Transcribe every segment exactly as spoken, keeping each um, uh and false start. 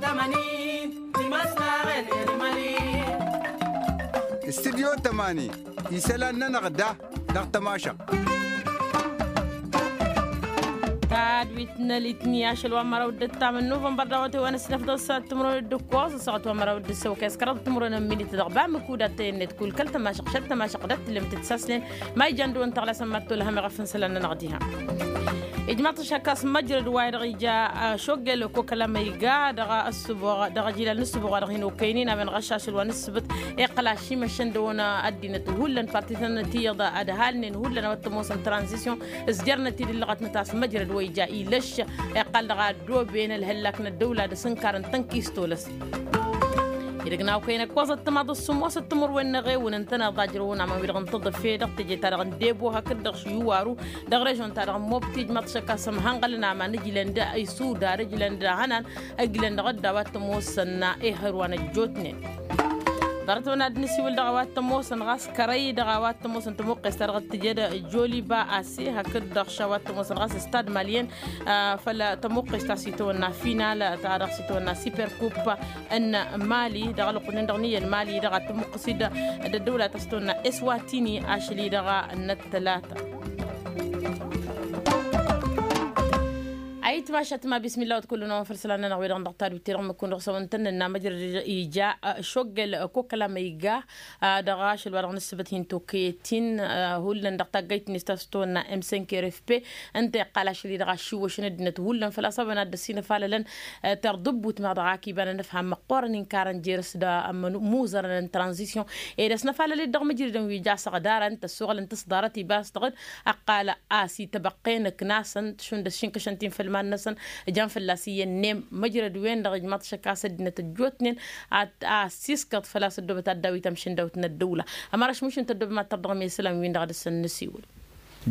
Tămani. Timăslaɣen. Irmali. Studyo tămani isălan-nănăɣ da dăɣ-tămašăɣt. Tadwit n-elitni ašăl wa n-măraw d-ǝttam n-nuvănbăr dăɣ-awătay wa n-ăsnăf dăɣ-săɣăt timǝrwen d-ǝkkoẓ ăssaɣăt wa n-măraw d-ǝssăwăkay s-kăraḍ timǝrwen n-minit dăɣ-bamǝku d-attăyăn-net kull kăl-tămašăɣt šăl tămašăɣt d-ăttǝlem tǝtsasnen. Ma ijan dăɣ-wăn tăɣlasăn ma t-tolhăm iɣăf n-isălan-nănăɣ diha. Ijmaḍ-t ašăkkas măjrăd wa-dăɣ ija šoggel kokăla ma iga dăɣ-ăssǝboɣ dăɣ-ajilal n-ǝssǝboɣ wa dăɣ-hin-okăynen a-wen ɣăššašăl wa n-ǝssǝbǝt. Iqqăl ašimăšăn dăɣ-wăn ăddinăt hullan parti-tăn tiyyăḍ ad-halnen hullan a-wa t-ămoosăn tranzisyon s-jarnăt-dd ǝllăɣătnăt a-s măjrăd wa ija ilăšš. Iqqăl dăɣ-a ăddooben ălhăllak n-ăddăwla d-asǝnkar n-tănkisto lăs. Idăgg n-a okăyăn ǝkkoẓăt timaḍ ǝssǝmmosăt timǝrwen n-eɣewǝn ǝntăneḍ a ǝjrăwăn aman-wi-dăɣ n-tǝḍǝfe dăɣ-teje-ta-dăɣ n-debo hakd-dăɣ š-iwaru. Dăɣ-režyon-ta-dăɣ n-mobti ǝjmaḍ-t šăkk a-s ămhănɣălăn aman ǝjlăn d-isudar ǝjlăn d-ahănan ǝjlăn dăɣ-dd a-wa t-ămoosăn ehăr wa n-ăjjootnen. Ḍarăt-wăn ad-nǝsiwǝl dăɣ-a-wa t-ămoosăn ɣas kărăy dăɣ-a-wa t-ămoosăn tămuqqest-ta-dăɣ t-tǝjed joliba ase hakd-dăɣ š-a-wa t-ămoosăn ɣas stad malyen. Făll-tămuqqest ta s-itawănna final-ta-dăɣ s-itawănna siperkup n-mali dăɣ-alăqqunen dăɣ-niyyăn mali dăɣ-ad-tămuqqǝsid d-ăddăwla ta s-itawănna eswatini ašăl-i-dăɣ n-ăttălata. Ayǝtmašat ma bismilla wăt kull-năwăn făll-isălan-nănăɣ wi-dăɣ n-dăɣ-tadwit-ti-dăɣ mǝkkun dăɣ-săwăn tăn-nănna măjrăd ija šoggel kokăla ma iga dăɣ-ašăl wa dăɣ-nǝssǝbăt hin-tokăyăt-in. Hullan dăɣ-taggayt-net ta s-tăwănna m cinq r f p ǝnta iqqal ašăl-i-dăɣ ašiwăšăn ăddinăt hullan făl-a-s a-wen ad-dd-ăsinăfalălăn. Tărdǝbbut meɣ dăɣ-akiba n-anăfham măqqoorăn inkar n-jer-s d-amuzărăn n-tranzisyon ed ăsnăfalăl-dd dăɣ-mǝjridăn wi ja s-ăɣdarăn tăssoɣălăn tǝsḍarăt ibas dăɣ-dd ăqqal a-s ităbăqqen ǝknasăn šund ăssinkăšăn ti n-făll-iman-năsăn. Ǝjan fălla-s iyyăn n-em măjrăd-wen-dăɣ ijmaḍ-t šăkk a-s ăddinăt ăjjootnen a ăssiskăḍ făl-a-s ăddoobăt ad-dawit amšǝndawt n-ăddăwla. Ămăraš mušǝn tăddoobăm ad-tărdăɣăm i-isălan-win-dăɣ dăr-săn n-asiwǝl.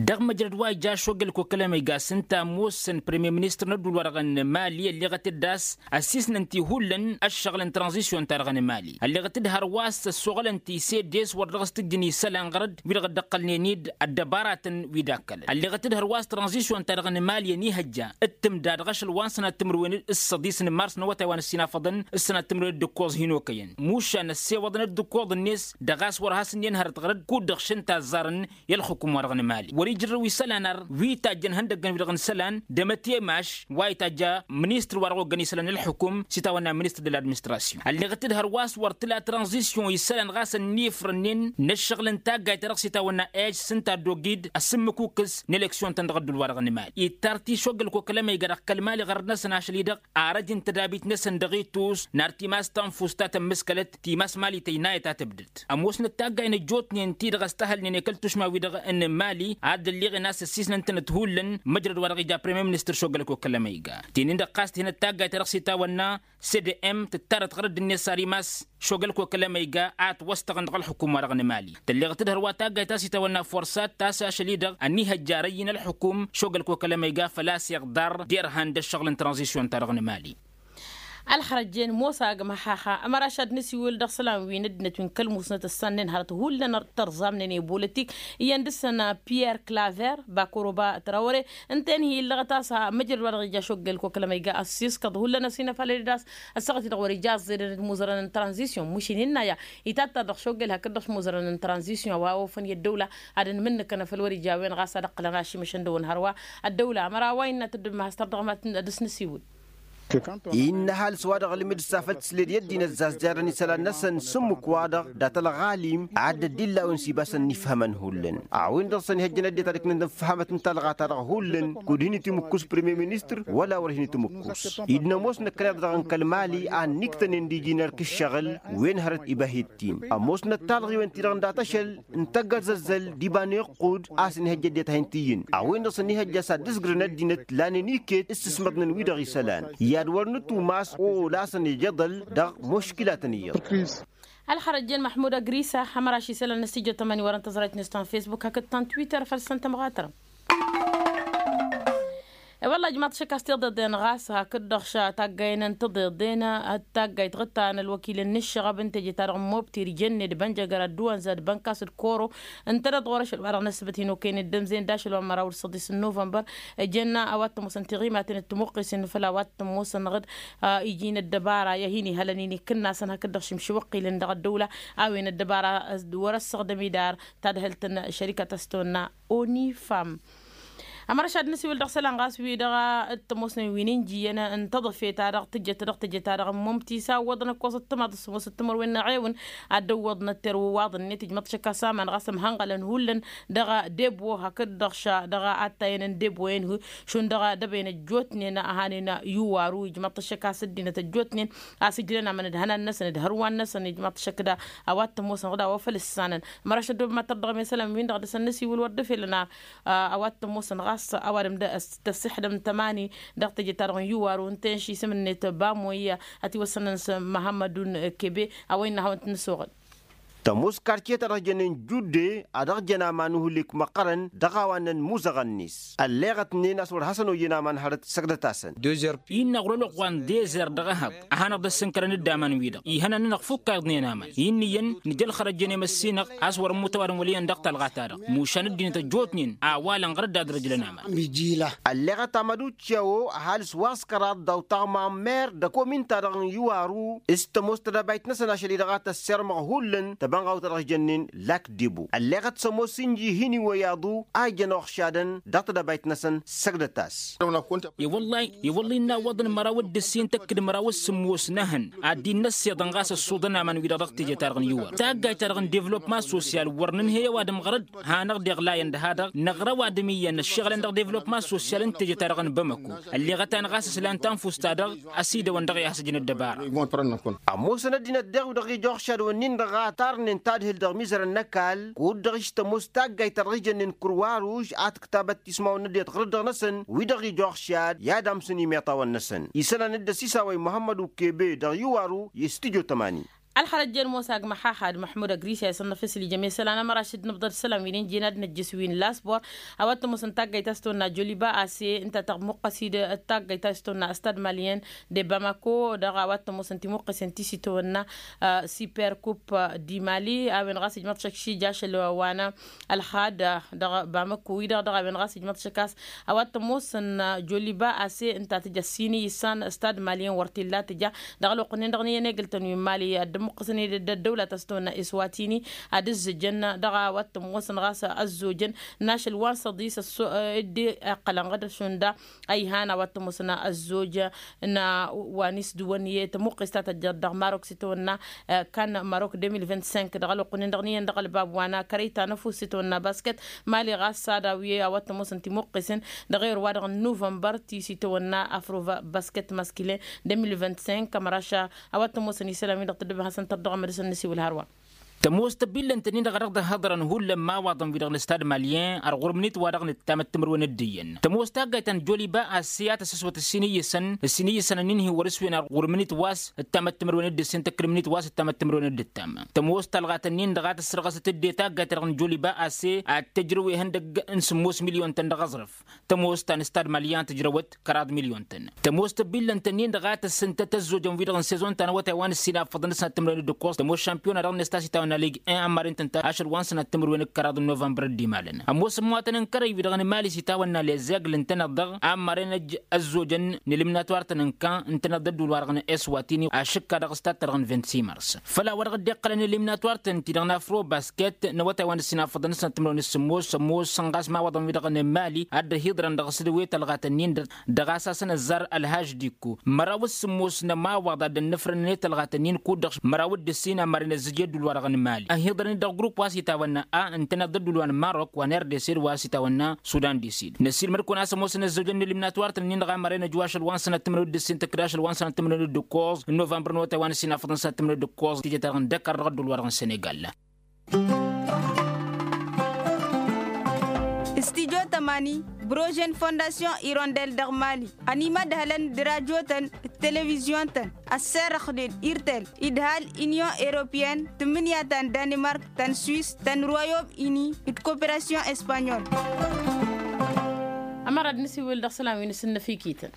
Dăɣ-măjrăd wa ija ašoggăl kokălăm iga s-ǝnta ămoosăn premier ministăr n-ădduul-wa-dăɣ n-mali ălleɣăt-dd a-s ăssiisnăn-t i-hullan ăššăɣǝl n-tranzisyon-ta-dăɣ n-mali ălleɣăt-dd hărwa a-s ăssoɣălăn-t isedes wăr dăɣ-s t-ǝjjǝn isălan ɣărăd wi-dăɣ dd-ăqqălnen-dd ăddăbaratăn wi d-akkălăn ălleɣăt-dd hărwa a-s tranzisyon-ta-dăɣ n-mali ănihăjja d-timda dăɣ-ašăl wa n-sănat timǝrwen d-săḍis n-mars n-awătay wa n-ăssinafăḍăn s-sănat timǝrwen d-ǝkkoẓ hin-okăyăn mušan ăssewăḍăn d-ǝkkoḍ-net dăɣ-a-s wăr has-ǝnnin hărăt ɣărăd kud-dăɣ šăn tazzarăn i-ălxukum-wa-dăɣ n-mali wăr-ijrăw isălan ar wi tajjăn ihăndăggăn-wi-dăɣ n-isălan d-emătemaš wa itajja ministăr-wa-dăɣ oggăn isălan n-ălxukum s-itawănna ministăr d-ladministrasyon ălleɣăt-dd hărwa a-s wăr tǝla tranzisyon isălan ɣas ănnifrănnen n-ăššăɣǝl n-taggayt-ta-dăɣ s-itawănna ej s-ǝnta ăddoggid ăsǝmmǝkukǝs n-eleksyon-tăn dăɣ-ădduul-wa-dăɣ n-mali ittar tišoggăl kokălăm iga dăɣ-kăl-mali ɣărăd-năsăn ašăl-i-dăɣ arăj n-tădabit-năsăn dăɣ-itus n-ar timas tanfust ta tămmǝskălăt timas mali tăynayăt a tǝbdăd ămoosnăt taggay n-ăjjootnen-ti-dăɣ ăstăhălnen i-kăl-tušma-wi-dăɣ n-mali ad-dd-ălleɣen a-s ăssiisnăn-tănăt hullan măjrăd wa dăɣ-ija premier ministăr šoggăl kokălăm iga tinin-dăɣ ɣas tǝhinăt taggayt-ta-dăɣ s-itawănna s-d m tǝttarăt ɣărăd-net s-ar imas šoggăl kokălăm iga a ătwăstăɣăn dăɣ-ălxukum-wa-dăɣ n-mali tălleɣăt-dd hărwa taggayt ta s-itawănna forsat ta s-ašăl-i-dăɣ ănihăjja arăyy n-ălxukum šoggăl kokălăm iga făl-a-s iɣḍar d-irhan d-ăššăɣǝl n-tranzisyon-ta-dăɣ n-mali. Ălxărăjjen mosa agmăhaha ămăraš ad-nǝsiwǝl dăɣ-isălan wi n-ăddinăt wi n-kăl-musnăt ăssannen hărăt hullan tărẓamnen i-bolătik iyyăn dăɣ-săn piyer klaver bakoroba trawăre ǝnta-en hi-illăɣăt a-s măjrăd wa dăɣ-ija šoggel kokălăm iga ăssiskăḍ hullan ăsinăfalăl-dd a-s ăssaɣăt-i-dăɣ wăr-ija ăẓẓedăn d-imuzărăn n-tranzisyon mušin innă aya itattar dăɣ-šoggel hakd-dăɣ imuzărăn n-tranzisyon a-wa ofăn i-ăddăwla ad-ănmǝnnǝkăn făll-wăr-ija a-wen ɣas ad-ǝqqǝlăn ašimăšăn dăɣ-wăn hărwa ăddăwla ămăra wa innă tǝddǝb ma has-tărdăɣăm ad-dăɣ-s nǝsiwǝl. Innă ăhalǝs-wa-dăɣ ălmǝd s-afăl tǝsled i-ăddinăt zazjarăn isălan-năsăn s-ǝmmǝk-wa-dăɣ dat-ălɣalim ad-dd-illa a-wen s-ibasăn n-ifhămăn hullan a-wen-dăɣ s-ănihăjjăn ăddinăt ad-ǝknǝn d-ănfăhămăt n-talɣa-ta-dăɣ hullan kud-hin-itimǝkkus premier ministăr wăla wăr hin-itimǝkkus. Dd-nămoos năkkăneḍ-dăɣ n-kăl-mali a ănniktănen d-iji n-erk ǝššăɣǝl wen hărăt ibahit-t-in ămoosnăt talɣiwen-ti-dăɣ n-dat-ašăl n-tăgg-azăzzăl d-iba n-iqqud a-s ănihăjja ăddinăt a hin-t-iyyǝn a-wen-dăɣ s-ănihăjja s-ad-dd-ǝzgrǝn ăddinăt lanen iket s-ǝsmăḍnen wi-dăɣ isălan i-ad-wăr nǝtumas o-ola a-s ănijăḍăl dăɣ-muškilatăn iyyăḍ. Ălxărăjjen măḥmud ăgrisa hămăraš isălan n-ăsijăt ămăni wăr-ăntăẓrăyt-net ta n-fesbuk hakd ta n-twitter făll-săn tămɣatărăm. Wălla ijmaḍ-t ašăk a-s tiḍeḍen ɣas hakd-dăɣ ša taggayen n-tiḍeḍen. Taggayt ɣǝttan ălwăkil n-inǝššăɣăb n-teje-ta-dăɣ n-mobti rijănne d-bănjăgăra d-duwănza d-bănkas d-koro ǝntăneḍ ɣur-ašăl wa dăɣ-năsbăt hin-okăynen d-ămzen d-ašăl wa n-măraw d-săḍis n-nuvănbăr. Ǝjănna a-wa t-ămoosăn tiɣimaten d-timǝqqisen făll-a-wa t-ămoosăn ɣǝd iginăt dăbara i-ad-hin-iha lănin ikǝnnasăn hakd-dăɣ šimšiwăqqilăn dăɣ-ăddăwla a-wen ăddăbara wăr-ăssăɣdăm idar tadhǝlt n-šărikăt a-s tăwănna onifam. Ămăra šad nǝsiwǝl dăɣ-isălan ɣas wi-dăɣ t-ămoosnen wi n-injǝyyăn n-taḍăfe-ta-dăɣ tǝjjăt dăɣ-teje-ta-dăɣ n-mumti s-a ǝwwăḍăn ăkkoẓăt timaḍ s-sămoosăt timărwen n-eɣewǝn ad-dd-ăwwăḍnăt terwǝwaḍ-net ijmăḍ-t ašăk a-s aman ɣas ămhănɣălăn hullan dăɣ-debwo hakd-dăɣ ša dăɣ-attayăn n-debwo-en-hi šund dăɣ-dăbăyăn ăjjootnen a hanen iwaru ijmăḍ-t ašăk a-s ăddinăt ăjjootnen a-s ǝjlăn amăn d-ihănan-năsăn d-ihărwan-năsăn ijmăḍ-t ašăk da a-wa t-ămoosăn ɣǝd a-wa făl ǝssanăn. Ămăra ašăl dd-oba ma tărdăɣăm i-isălan-win-dăɣ dăr-săn năsiwǝl wăr dd-efelăn ar a-wa t-ămoosăn ɣas ăwadǝm d-ăssihădăm n-tămani dăɣ-teje-ta-dăɣ n-iwaru ǝnta i-inša isǝm-net bamoy ătiwăssănăn s-măhămmădun kebe a-wa innă ad-hawăn-t-nǝsoɣăl. Tămoos kartiye-ta-dăɣ jănnen judde a dăɣ-jăn aman uhǝlek măqqărăn dăɣ-a-wa ǝnnăn muzăɣăn-net ălleɣătnen a-s wăr hasăn-ojăn aman hărăt săgdăt-asăn. Innă ɣur-ălwăqq wa n-dezer dăɣ-ehăḍ a hanăɣ-dd-ăssǝnkărăn dd-aman-wi-dăɣ ihănan-nănăɣ fukk a iḍnen aman. Innă iyyăn nǝja ălxărăt jăn i-măssinăɣ a-s wăr-ămmut ăwadǝm wăl' iyyăn dăɣ-talɣa-ta-dăɣ mušan ăddinăt ăjjootnen a-wa lănɣăr dd-adrăjlăn aman. Ălleɣăt amăducciyawo ăhalǝs wa s-kăraḍ daw-taɣma n-mer d-ăkomin-ta-dăɣ n-iwaru s-tămoos tădabayt-năsăn ašăl-i-dăɣ a tăssirmăɣ hullan tăbănɣawt a dăɣ-jănnen lakdebo ălleɣăt s-ămoos inji hin-iwăy aḍu a ijăn oxšadăn dăɣ-tădabayt-năsăn săgdăt-as. I-wălla-i i-wălla-i innă ăwwăḍăn măraw d-ǝssin tăkk d-măraw s-sǝmmos n-ehăn ad-dd-innă ăssiḍăn ɣas ăṣṣuḍăn aman-wi-dăɣ dăɣ-teje-ta-dăɣ n-iwăr taggayt-ta-dăɣ n-devlopma sosyal wăr nǝnhăy ăwadǝm ɣărăd hanăɣ-deɣ layăn dăha-dăɣ năɣra ăwadǝm iyyăn ăššăɣǝlăn dăɣ-devlopma sosyal n-teje-ta-dăɣ n-bamăko ălleɣăt-anăɣ a-s ǝslan tanfust-ta-dăɣ ăsidăwăn dăɣ-i hasăj n-ăddăbara. Ămoosăn ăddinăt daɣ wi-dăɣ ija oxšad-wǝnnin-dăɣ a tarnen tadhǝl dăɣ-mizărăn n-ăkall kud-dăɣ ištămos taggayt ta dăɣ-ijănnen kǝrwaruž a tǝktabăt tismawăn n-ăddinăt ɣǝr-dd-dăɣ-năsăn wi-dăɣ ija oxšad i-ad-amsăn imeṭawăn-năsăn isălan dd-ăsisawăy muhămmăd ukebe dăɣ-iwaru i-studyo tămani. Ălxărăt jen musa agmăxaxad măḥmud ăgrisha isănnăf islijăm i-isălan ămăraš dd-nǝbḍăd isălan wi n-injin ad-năjjǝs wi n-lasbor a-wa t-ămoosăn taggayt a-s tăwănna joliba ase ǝnta tăɣmuqqăs-dd taggayt a-s tăwănna stad malyen de bamako dăɣ-a-wa t-ămoosăn timuqqisen ti s-itawănna super kup di mali a-wen ɣas ijmăḍ šăkši jašăl wa n-ălxad dăɣ-bamako-wi-dăɣ dăɣ-a-wen ɣas ijmăḍ šăk a-s a-wa t-ămoosăn joliba ase ǝnta tǝja s-ini issan stad malyen wăr t-illa tǝja dăɣ-ălwăqq-nin-dăɣ n-iyyăn egǝltăn wi n-mali ad-dd-ămmuqqǝsăn i-dd-ăddăwlat a-s tăwănna iswatini ad-ǝzzǝjăn dăɣ-a-wa t-ămoosăn ɣas ăzzojăn n-ašăl wa n-săḍis ăsso dd-iqqălăn ɣǝd šund a ihan a-wa t-ămoosăn ăzzoj n-wa n-isdǝwăn i-tămuqqist ta tăjjăḍ dăɣ-marok s-itawănna kan marok deux mille vingt-cinq dăɣ-ălwăqq-nin-dăɣ n-iyyăn dăɣ-ălbab wa n-akărăy ta n-ăfuss s-itawănna basket mali ɣas ad-awi a-wa t-ămoosăn timuqqisăn dăɣ-erwa-dăɣ n-nuvănbăr ti s-itawănna afrova basket maskilen deux mille vingt-cinq ămăraš a-wa t-ămoosăn isălan wi-dăɣ tăddăbăhăsăn tărdăɣăm ad-dăɣ-săn nǝsiwǝl hărwa. Tămoos tăbillănt-nin-dăɣ a dăɣ-dd-ăhhăḍărăn hullan imawaḍăn wi-dăɣ n-stad malyen ăr ɣur-imǝnit wa dăɣ-nǝttam ăttămărwen d-iyyăn tămoos taggayt ta n-joliba asse a tăssăswăt ǝssin iyyăsăn ǝssin iyyăsăn ănnin-hi wăr-ǝswen ăr ɣur-imǝnit wa s-ǝttam ăttămărwen d-ǝssin tăkk d-imǝnit wa s-ǝttam ăttămărwen d-ǝttam. Tămoos talɣat-ǝnnin-dăɣ a tǝssărɣăsăt dd-e taggayt ta dăɣ-nǝj joliba asse ad-tǝjrăw ihăndăgg n-sǝmmos milyon-tăn dăɣ-aẓrǝf. Tămoos ta n-stad malyan tǝjrăwăt kăraḍ milyon-tăn. Tămoos tăbillănt-ǝnnin-dăɣ a tăssǝntăt ăzzojăn-wi-dăɣ n-sezon ta n-awătay wa n-ǝssin affăḍăn d-sănat timǝrwen d-ǝkkoẓ tămoos šampiyona dăɣ-năsta s-itawănna lig-en ămmaren-tăn ta ašăl wa n-sănat timǝrwen d-kăraḍ n-novămbăr d-imalăn. Ămoos ămmutănăn kărăy-wi-dăɣ n-imali s-itawănna lezegl ǝntăneḍ-dăɣ a ămmaren ăjj ăzzojăn n-eliminatwar-tăn n-kan ǝntăneḍ d-ădduul-wa-dăɣ n-eswatini ašǝkka dăɣ-s tattărăɣ n-vingt-six mars. Făll-a-wa dăɣ-dd-iqqălăn eliminatwar-tăn-ti-dăɣ n-afrobasket n-awătay wa n-ǝssin affăḍăn d-sănat timǝrwen d-sǝmmos sămmos sănɣas imawaḍăn-wi-dăɣ n-imali ad-dd-ăhiḍărăn dăɣ-s d-ewet ălɣatăn-in-dăɣ dăɣ-a-s asăn ăzzar ălhaždiko măraw s-sǝmmos n-ămawaḍ ad-dd-ănnăfrănăn i-tălɣatăn-in kud-dăɣ măraw d-ǝssin ammaren ăzzǝj i-ădduul-wa-dăɣ n-imali ăhiḍărăn-dd dăɣ-grupp wa s-itawănna a ǝntăneḍ d-ădduul wa n-marok wa n-rdc d-wa s-itawănna sudan d-isid năsiilmăd-kăwăn a-s ămoosăn ăzzojăn n-eliminatwar-tăn-in-dăɣ a măren ăjwa ašăl wa n-sănat timǝrwen d-ǝssin tăkk d-ašăl wa n-sănat timǝrwen d-ǝkkoẓ n-novămbăr n-awătay wa n-ǝssin afăḍăn sănat timǝrwen d-ǝkkoẓ tijăt-ta-dăɣ n-dăkar dăɣ-ădduul-wa-dăɣ n-senegal. Studio tămani brožen fondasyon irondel dăɣ-mali ănimădhălăn d-rajotăn d-televizyon-tăn ăsserăxnen irtel idhal inyon europeyăn tǝmmǝnǝya ta n-danimark ta n-swis ta n-royom ini d-koperasyon espanyol. Ămăra d-nǝsiwǝl dăɣ-isălan wi n-asǝnnăfikităn.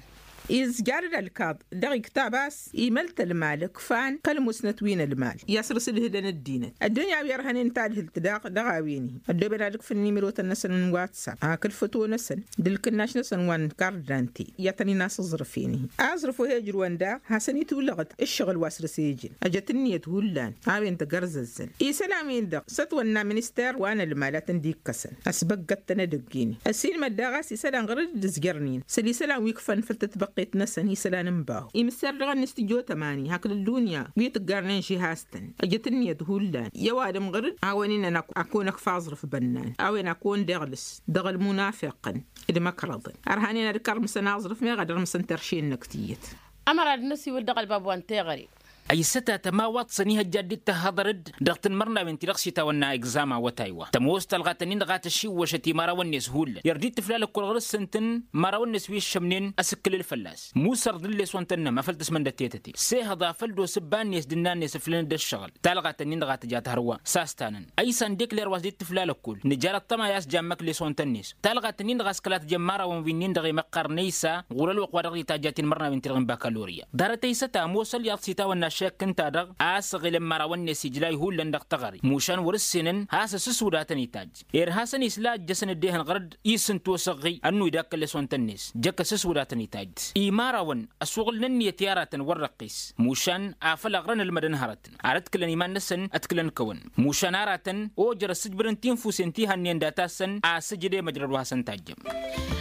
Izjar d-ălkaḍ dăɣ-iktab a-s imăl-t ălmal ǝkfan kăl-musnăt wi n-ălmal i-asrǝs ǝlhǝdăn ăddinăt ăddunya wi ărhănen tadhǝlt daɣ dăɣ-a-wen-hi ăddooben ad-ǝkfǝn nimirotăn-năsăn n-watsap hakd făto-năsăn d-ǝlkǝnnaš-năsăn wa n-kardante i-ad-tăn-in-asǝẓrǝf-en-hi. Aẓrǝf wa he-ǝjrǝwăn daɣ hasăn-itwǝlăɣăt ǝššăɣǝl wa săr-s ejăn ăjăt ǝnniyăt hullan a-wen tăgărzăzzăn isălan-win-dăɣ s-ătwănna minister wa n-ălmal a tăn-dd-ikkăsăn ăsbăggăt-tăn edăgg-en. Ăsinmăd daɣ a-s isălan ɣur-dd ǝzjărnen s-ălisălan wi ǝkfăn făll-tătbăqqet-năsăn isălan n-bahu imǝsser dăɣ-ănn stujo tămani hakd ăddunya wi tǝggarnen žihaz-tăn ăjăt ǝnniyăt hullan i-ăwadǝm ɣur-dd a-wen innăn a kăwăn-ăkf aẓrǝf bănnan a-wen a kăwăn-dd-iɣlǝs dăɣ-ălmunafiqăn d-imăkrăḍăn ărhanen ad-kărmǝsăn aẓrǝf meɣ ad-ărmǝsăn terše-năk tiyyăt. Ămăra d-năsiwǝl dăɣ-ălbab wa n-teɣăre. Ăysătat ămawaḍ-săn ihăjja dd-tăhhăḍăr-dd dăɣ-tanmărnawen ti-dăɣ s-itawănna egzama awătay wa tămoos talɣa-tăn-in-dăɣ a tăšiwwăšăt imărawăn-net hullan i-ărdit tǝfla lăkkol ɣur-s s-ǝntǝn imărawăn-net wi ǝššămnen asǝkkǝlǝl fălla-s musărḍ n-lesson-tăn-năma făl tǝsmăndăt tetăte s-ehăḍ a făl d-osǝbba-net d-ǝnnan-net ǝflăn-dd ăššăɣǝl. Talɣa-tăn-in-dăɣ a tǝja tăhărwa s-astanăn ăysan dekler wa s-dd-tǝfla lăkkol nǝjar ăṭṭăma i-a-s jammăk lesson-tăn-net. Talɣa-tăn-in-dăɣ a-s kăla tǝjămmărawăn wi-nin-dăɣ i-măqqar năysa ɣur-ălwăqq wa dăɣ-dd-itajja tinmărnawen ti-dăɣ n-bakalorya. Ḍarăt ăysăt ămoos ălyaḍ s-itawănna ašek ǝnta-dăɣ a-s ăɣilăn imărawăn-net ijlay hullan dăɣ-teɣăre mušan wăr-ǝssenăn has-asǝswǝd a tăn-itajj. Irha-săn isla ǝjjăsăn dd-ehăn ɣăr-dd isǝnto s-ăɣɣǝy ănnu idakk ălesson-tăn-net jăkk asǝswǝd a tăn-itajj. Imărawăn ăsuɣǝlăn ǝnniyăt i-aratăn wăr răqqis mušan afăl ăɣrăn ălmădăn hărătăn ar ătkǝlăn iman-năsăn ătkǝlăn kăwăn. Mušan aratăn ojăr ăssǝjbǝdăn tinfusen ti hănnen data-săn asǝjǝd i-măjrăd wa hasăn-tajjăm.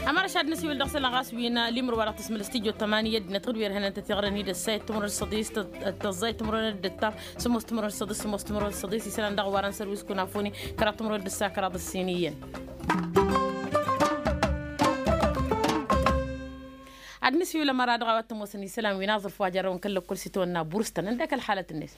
Ămăra šad năsiwǝl dăɣ-isălan ɣas wi n-alimǝr wa dăɣ-tǝsmǝl s-tijot tămani i-ăddinăt ɣǝd wi ărhănăn-tăt iɣrăn-i d-ăssayăt timǝrwen d-săḍis tăẓẓayăt timǝrwen d-ǝttam sǝmmos timǝrwen d-săḍis sǝmmos timǝrwen d-săḍis isălan dăɣ-warăn sărwis kunafoni kăraḍ timǝrwen d-ǝssa kăraḍ ǝssin iyyăn. Ad-nǝsiwǝl ămăra dăɣ-a-wa t-ămoosăn isălan wi n-aẓrǝf wa jărrăwăn kăl-lăkkol s-itawănna burs-tăn ǝndek ălxalăt-net.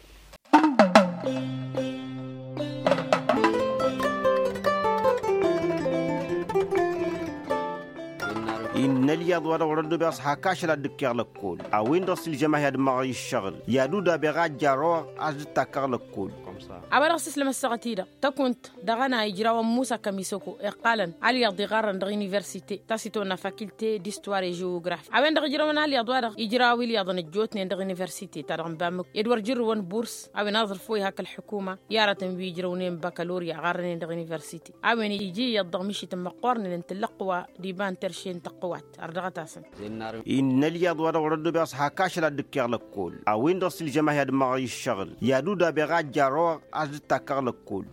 Innă ălyaḍ wa dăɣ-wăr-ăddobeɣ s-hak ašăl ad-dd-ǝkkeɣ lăkkol a-wen-dăɣ s-ǝlžăm-ahi ad-ǝmmăɣăy ǝššăɣǝl i-ad-udabeɣ a ǝjjar-oɣ a-s dd-takkăɣ lăkkol. A-wa dăɣ-s ǝslăm ăssaɣăt-i-dăɣ tăkunt dăɣ-ănay ǝjrawăn musa kămisăko iqqalăn ălyaḍ iɣarrăn dăɣ-universite ta s-itawănna fakilte d-istuwar i-žeografi a-wen-dăɣ ǝjrăwăn ălyaḍ-wa-dăɣ ijraw ilyaḍăn ăjjootnen dăɣ-universite ta dăɣ-n bamǝk ed wăr jǝrrǝwăn burs a-wen aẓrǝf wa ihak ălḥukuma i-aratăn wi ǝjrăwnen bakalorya ɣarrănen dăɣ-universite a-wen iji iyyăḍ dăɣ-mišităn măqqoornen n-tǝllăqqǝwa d-iba n-terše n-tăqqǝwat. Ărdăɣăt-asăn. Innă ălyaḍ wa dăɣ-wăr-ăddobeɣ s-hak ašăl ad-dd-ǝkkeɣ lăkkol a-wen-dăɣ s-ǝlžăm-ahi ad-ǝmmăɣăy ǝššăɣǝl i-ad-udabeɣ a ǝjjar-oɣ a-s dd-takkăɣ lăkkol.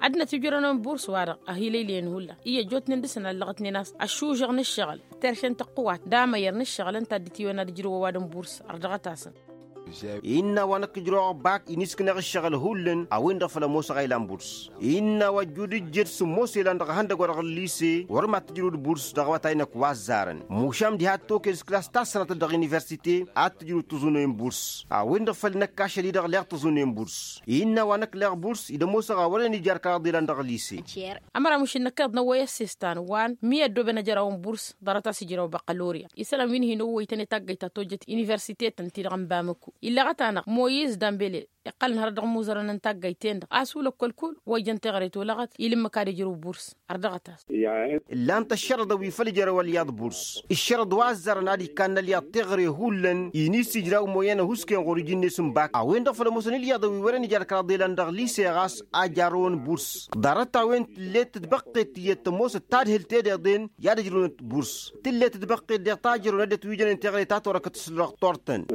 Ăddinăt wi ǝjrăwnen burs-wa-dăɣ ăhilăylăyăn hullan iyyă ăjjootnen dăr-săn a ǝllăɣătnen a-s ăššužăɣ n-ǝššăɣǝl terše n-tăqqǝwat d-amăyăr n-ǝššăɣǝl ǝnta a dd-itiwănna ad-ǝjrǝwăn ăwadǝm burs. Ărdăɣăt-asăn. Innă a-wa năkk ǝjrăwăɣ bak iniskǝneɣ ǝššăɣǝl hullan a-wen-dăɣ făl ămoosăɣ a ilan burs. Innă a-wa ăjjud ǝjjed sǝmmos elan dăɣ-ehăndăgg-wa-dăɣ n-lise wăr mad-tǝjrǝwǝd burs dăɣ-awătay-năk wa ăzzarăn mušan diha d-toked s-klas ta s-sănatăt dăɣ-universite ad-tǝjrǝwǝd tăẓunen burs. A-wen-dăɣ făl năkk ašăl-i-dăɣ leɣ tăẓunen burs. Innă a-wa năkk leɣ burs dd-ămoosăɣ a wărăn ijar kăraḍ ilan dăɣ-lise. Ămăra mušǝn năkkeḍ n-ăwwăy ăssestan wa n-mi ăddooben ăjrăwăn burs ḍarăt a-s ijrăw băkălorya isălan wi n-hin-ăwwăytăn i-taggăyt ta tojjăt universitetăn-ti-dăɣ n-bamăku. Illăɣăt-anăɣ moyiz dambele iqqălăn hărăt dăɣ-imuzărăn n-taggăyten-dăɣ a-s ulăkkol kull wa ijăn teɣăre tolăɣăt ila ǝmmǝk ad-ijrǝw burs. Ărdăɣăt-as. Ǝllan-t ăššărăḍăn wi făl ijrăw ălyaḍ burs ǝššărăḍ wa ăzzarăn ad-ikkan n-ălyaḍ teɣăre hullan. Iniss ijraw moyen ăhuusken ɣur-iji-net n-bak a-wen-dăɣ făl ămoosăn ilyaḍăn wi wărăn ijar kăraḍ ilan dăɣ-lise ɣas a jarrăwăn burs. Ḍarăt-a-wen tǝllet tǝtbăqqet tiyyăt tămoosăt tadhǝlt ed eḍen i-ad-ǝjrǝwnăt burs. Tǝllet tǝtbăqqet deɣ tajărrăwăn ăddinăt wi jănen teɣăre ta torăkăt s-lăɣ tortăn.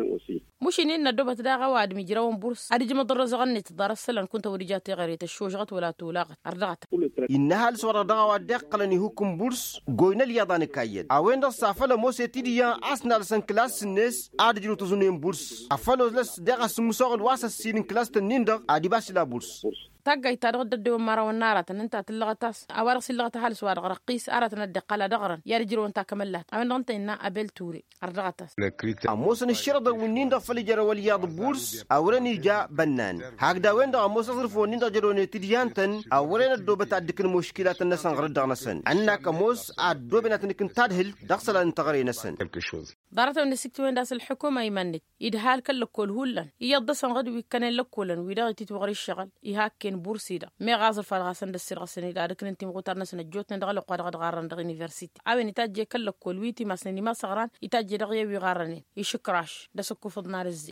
Mušǝn-in n-ăddobăt daɣ ăwadǝm ijrăwăn burs ad-ǝjmăḍ ărrăzăɣ-net ḍarăt isălan kunta wăr ija teɣăre tăššožăɣăt wăla tolaɣăt. Ărdăɣăt. Innă ăhalǝs-wa-dăɣ dăɣ-a-wa dd-iqqălăn ihukǝm burs goynă ălyaḍ a nǝkayyăd a-wen-dăɣ s-afăl ămoos i-tidǝyyan a-s nalăsăn kǝlas-net ad-ǝjrǝw tăẓunen burs. Afăl olăs deɣ asǝmmǝs oɣǝl wa s-ăssin n-kǝlas-tăn-in-dăɣ ad-ibas ila burs. Taggayt-ta-dăɣ dd-ăddewăn imărawăn n-aratăn ǝnta tǝllăɣăt a-s a-wa-dăɣ s-illăɣăt ăhalǝs-wa-dăɣ răqqis aratăn ad-dd-iqqăl ad-ăɣrăn i-ad-ǝjrǝwăn takămăllat a-wen-dăɣ ǝnta innă abel ture. Ărdăɣăt-as. Ămoosăn ǝššărăḍăn wi-nin-dăɣ făl ijărăw ălyaḍ burs a wărăn ija bănnan. Hakd a-wen-dăɣ ămoos aẓrǝf-wen-in-dăɣ jădonăt idǝyyan-tăn a wărăn ăddoobăt ad-dd-ǝkǝn muškilatăn-năsăn ɣur-dd-dăɣ-năsăn ǝnn'-ak ămoos a ăddooben ad-tăn-ǝkǝn tadhǝlt dăɣ-isălan n-teɣăre-năsăn. Ḍarăt-a-wen dd-ăsiktiwen d-asǝlḥǝkum a iman-net idhal kăl-lăkkol hullan iyyăḍ dăr-săn ɣǝd wi ǝkkănen lăkkolăn wi-dăɣ ititwăɣri ǝššăɣǝl. Iha ăkken. n-bursi-dăɣ meɣ aẓrǝf a dăɣ-hasăn-dd-ăssirɣăsăn-dd ad-ǝknǝn timɣutar-năsăn ăjjootnen dăɣ-ălwăqq wa dăɣ-dd-ɣarrăn dăɣ-universite a-wen itajje kăl-lăkkol wi timasnen imasăɣran itajje dăɣ-i a-wi ɣarrănen išǝkraš d-asǝkkufǝḍ n-arǝzzi.